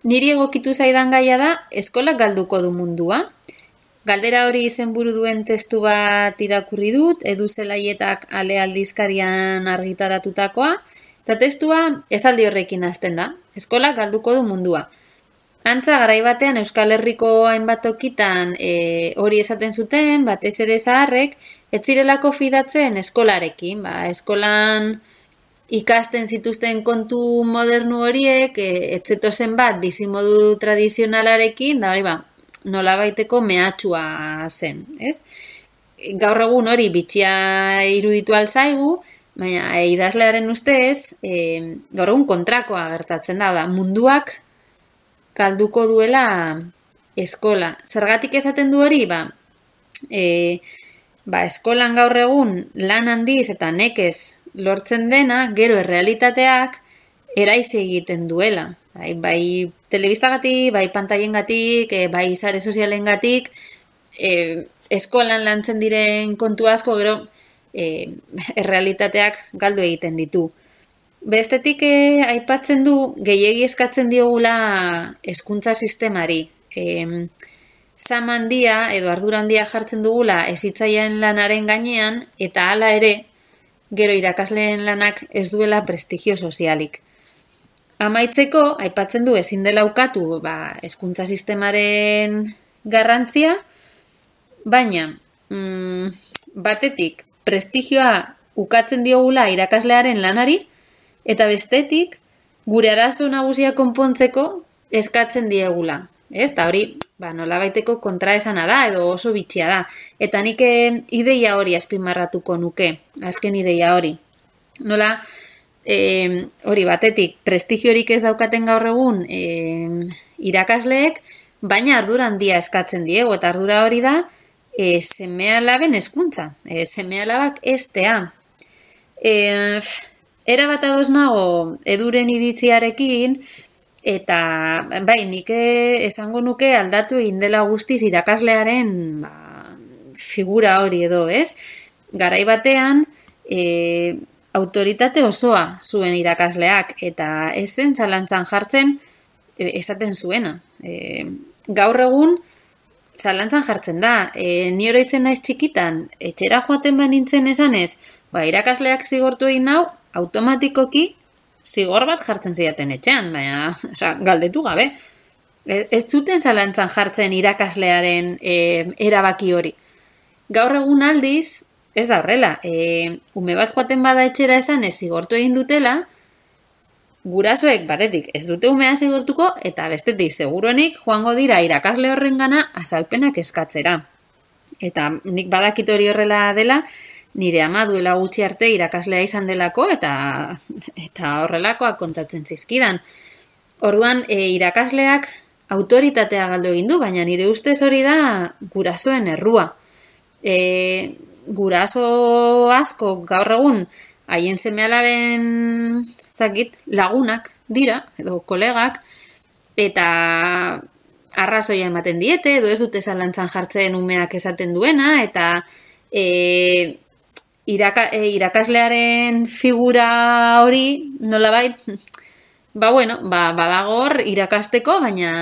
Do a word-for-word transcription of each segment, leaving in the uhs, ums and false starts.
niri egokitu zaidan gaia da, eskolak galduko du mundua. Galdera hori izenburu duen testu bat irakurri dut, Edu Zelaietak Ale aldizkarian argitaratutakoa, eta testua esaldi horrekin hasten da, eskolak galduko du mundua. Antza, garai batean Euskal Herriko hainbat tokitan e, hori esaten zuten, batez ere zaharrek, ez zirelako fidatzen eskolarekin, ba, eskolan ikasten zituzten kontu modernu horiek, e, ez zetozen bat bizimodu tradizionalarekin, da hori ba, nolabaiteko mehatxua zen, ez? Gaur egun hori bitxia iruditu alzaigu, baina e, idazlearen ustez, e, gaur egun kontrakoa gertatzen da, da munduak galduko duela eskola. Zergatik esaten du hori, ba, e, ba, eskolan gaur egun lan handiz eta nekez lortzen dena, gero errealitateak eraize egiten duela. Bai, bai telebistagatik, bai pantailengatik, e, bai sare sozialengatik, e, eskolan lantzen diren kontu asko gero e, errealitateak galdu egiten ditu. Bestetik eh, aipatzen du gehiegi eskatzen diogula hezkuntza sistemari. E, Zama handia edo ardura handia jartzen dugula hezitzaileen lanaren gainean eta hala ere gero irakasleen lanak ez duela prestigio sozialik. Amaitzeko aipatzen du ezin dela ukatu ba, hezkuntza sistemaren garrantzia, baina mm, batetik prestigioa ukatzen diogula irakaslearen lanari, eta bestetik, gure arazo nagusia konpontzeko eskatzen diegula. Ez, eta hori, ba, nolabaiteko kontraesana da, edo oso bitxia da. Eta nik ideia hori azpimarratuko nuke, azken ideia hori. Nola, e, hori batetik, prestigiorik ez daukaten gaur egun e, irakasleek, baina ardura handia eskatzen diegu, eta ardura hori da, e, seme alaben hezkuntza, e, seme alabak estea. E, Era bat ados nago Eduren iritziarekin, eta bai, nik esango nuke aldatu egin dela guztiz irakaslearen ba, figura hori edo, ez? Garai batean, e, autoritate osoa zuen irakasleak, eta ez zen zalantzan jartzen e, esaten zuena. E, gaur egun, zalantzan jartzen da, e, ni oroitzen naiz txikitan, etxera joaten banintzen esanez, ba, irakasleak zigortu egin nau, automatikoki zigor bat jartzen zidaten etxean, baina, oza, galdetu gabe. Ez, ez zuten zalantzan jartzen irakaslearen e, erabaki hori. Gaur egun aldiz, ez da horrela, e, ume bat joaten bada etxera esan ez zigortu egin dutela, gurasoek batetik ez dute umea zigortuko, eta bestetik seguruenik joango dira irakasle horrengana azalpenak eskatzera. Eta nik badakit hori horrela dela, nire ama duela gutxi arte irakaslea izan delako eta eta horrelakoak kontatzen zizkidan. Orduan, e, irakasleak autoritatea galdu egin du, baina nire ustez hori da gurasoen errua. E, guraso asko gaur egun haien seme-alaben zakit, lagunak dira, edo kolegak, eta arrazoia ematen diete, edo ez dute zalantzan jartzen umeak esaten duena, eta e, Iraka, e, irakaslearen figura hori nolabait, ba bueno, ba, badagor irakasteko, baina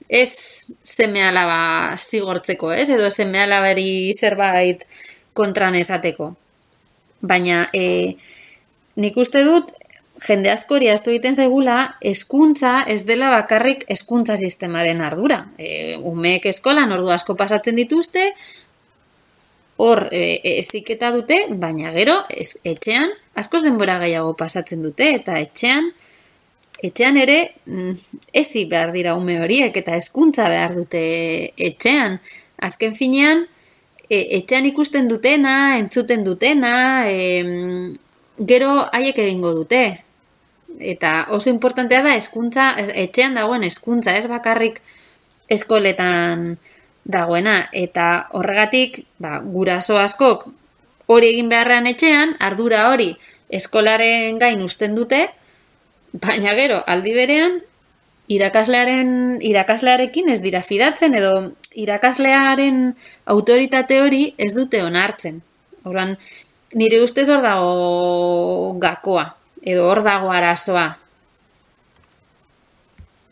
ez seme-alaba zigortzeko, ez? Edo seme-alabari zerbait kontran esateko. Baina e, nik uste dut, jende askori ahaztu egiten zaigula, hezkuntza ez dela bakarrik hezkuntza sistemaren ardura. E, umeek eskolan ordu asko pasatzen dituzte, hor eziketa dute, baina gero ez, etxean askoz denbora gehiago pasatzen dute, eta etxean etxean ere ezi behar dira ume horiek, eta hezkuntza behar dute etxean. Azken finean, e, etxean ikusten dutena, entzuten dutena, e, gero haiek egingo dute. Eta oso importantea da hezkuntza, etxean dagoen hezkuntza, ez bakarrik eskoletan dagoena, eta horregatik ba, guraso askok hori egin beharrean etxean, ardura hori eskolaren gain usten dute, baina gero aldi berean irakaslearen irakaslearekin ez dira fidatzen edo irakaslearen autoritate hori ez dute onartzen. Orduan, nire ustez hor dago gakoa, edo hor dago arazoa.